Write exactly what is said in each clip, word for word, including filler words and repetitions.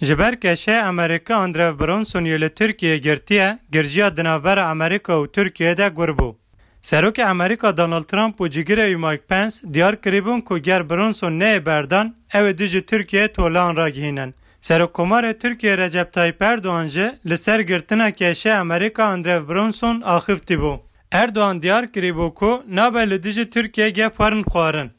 Ji ber keşê Amerîka Andrew Bronson yê li Tirkiyeyê girtiye, girjiya di navbera Amerîka û Tirkiyeyê de gur bû. Serokê Amerîka Donald Trump û cigirê wî Mike Pence diyar kiribûn ku ger Bronson neyê berdan, ew ê dijî Tirkiyeyê tolan ragihînin. Serokkomarê Tirkiyeyê Recep Tayyip Erdogan jî li ser girtina keşê Amerîka Andrew Bronson axiftî bû. Erdogan diyar kirîbû ku nabe li dijî Tirkiyeyê gef werin xwarin.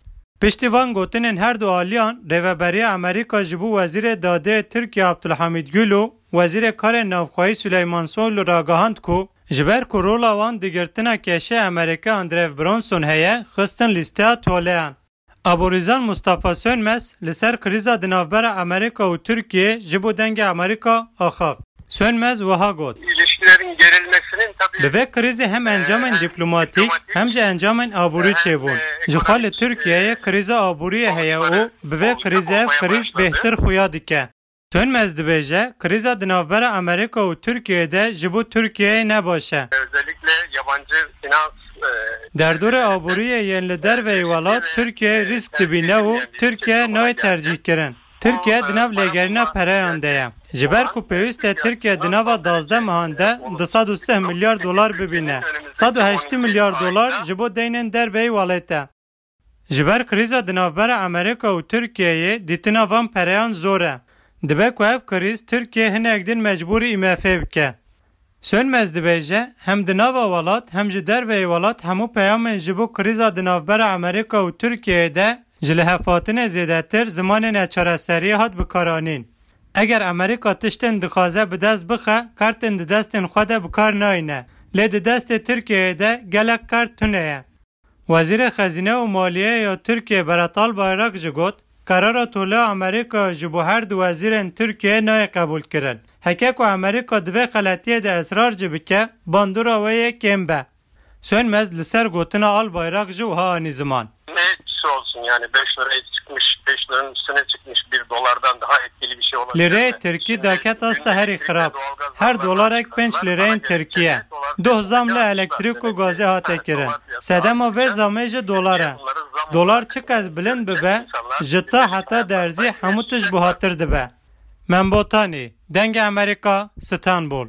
Piştî van gotinên her du aliyan, rêveberiya Amerîka ji bo Wezîrê Dadê Tirkiye Abdulhamid Gül û Wezîrê Karên Navxweyî Süleyman Soylu ragihand ku ji ber ku rola wan di girtina keşê Amerîka Andrew Bronson heye, xistin lîsteya toleyan. Aborîzan Mustafa Sönmez li ser krîza di navbera Amerîka û Tirkiyeyê ji bo Dengê Amerîka axaft. Sönmez wiha got: İlişkilerin gerilmesinin tabii Bi vê krîzê hem encamên diplomatîk hem jî encamên aborî çêbûn. Ji xwe li Tirkiyeyê krîza aboriyê heye û bi vê krîzê ev krîz bêhtir xuya dike. Sönmez dibêje, krîza di navbera Amerîka û Tirkiyeyê de ji bo Tirkiyeyê ne baş e. Özellikle yabancı finans, e, Derdorê aboriyê yên li derveyî welat Tirkiyeyê rîsk dibîne û Tirkiye nayê tercîhkirin. Tirkiye di nav lêgerîna pereyan de ye. Ji ber ku pêwîst e Tirkiye di nava dazdeh mehan de du sed û sih milyar dolar bibîne. Sed û heştî milyar dolar ji bo deynên derveyî welêt e. Ji ber krîza di navbera Amerîka û Tirkiyeyê dîtina van pereyan zor e. Dibe ku ev krîz Tirkiye hinek din mecbûrî I M F'ê bike. Sönmez dibêje, hem di nava welat hem ji derveyî welat hemû peyamên ji bo krîza di navbera Amerîka û Tirkiyeyê de ji lihevhatinê zêdetir zimanê neçareseriyê hat bikaranîn. Eger Amerîka tiştên dixwaze bi dest bixe, kartên di destên xwe de bi kar nayîne. Lê di destê Tirkiyeyê de gelek kart tune ye. Wezîrê Xezîne û Maliyeyê ya Tirkiyê Berat Albayrak jî got, Karara toleya Amerîka ji bo her du wezîrên Tirkiyeyê nayê qebûlkirin. Heke ku Amerîka di vê xeletiyê de israr jî bike, bandora wê yê kêm be. Sönmez li ser gotina Albayrak jî wiha anî ziman. Ne etkisi olsun yani, beş liraya çıkmış, beş liranın üstüne çıkmış bir dolardan daha etkili bir şey olabilir Lireyê mi? Tirkî daket asta herî xirab. Her dolarek pênc lireyên Tirkî ye. Doh zam li elektrîk û gazê hate kirin. Sedema vê zamê jî dolar e. Dolar çiqas bilind bibe, ji ta heta derzî hemû tişt buhatir dibe. Membotanî, Dengê Amerîka, Stenbol.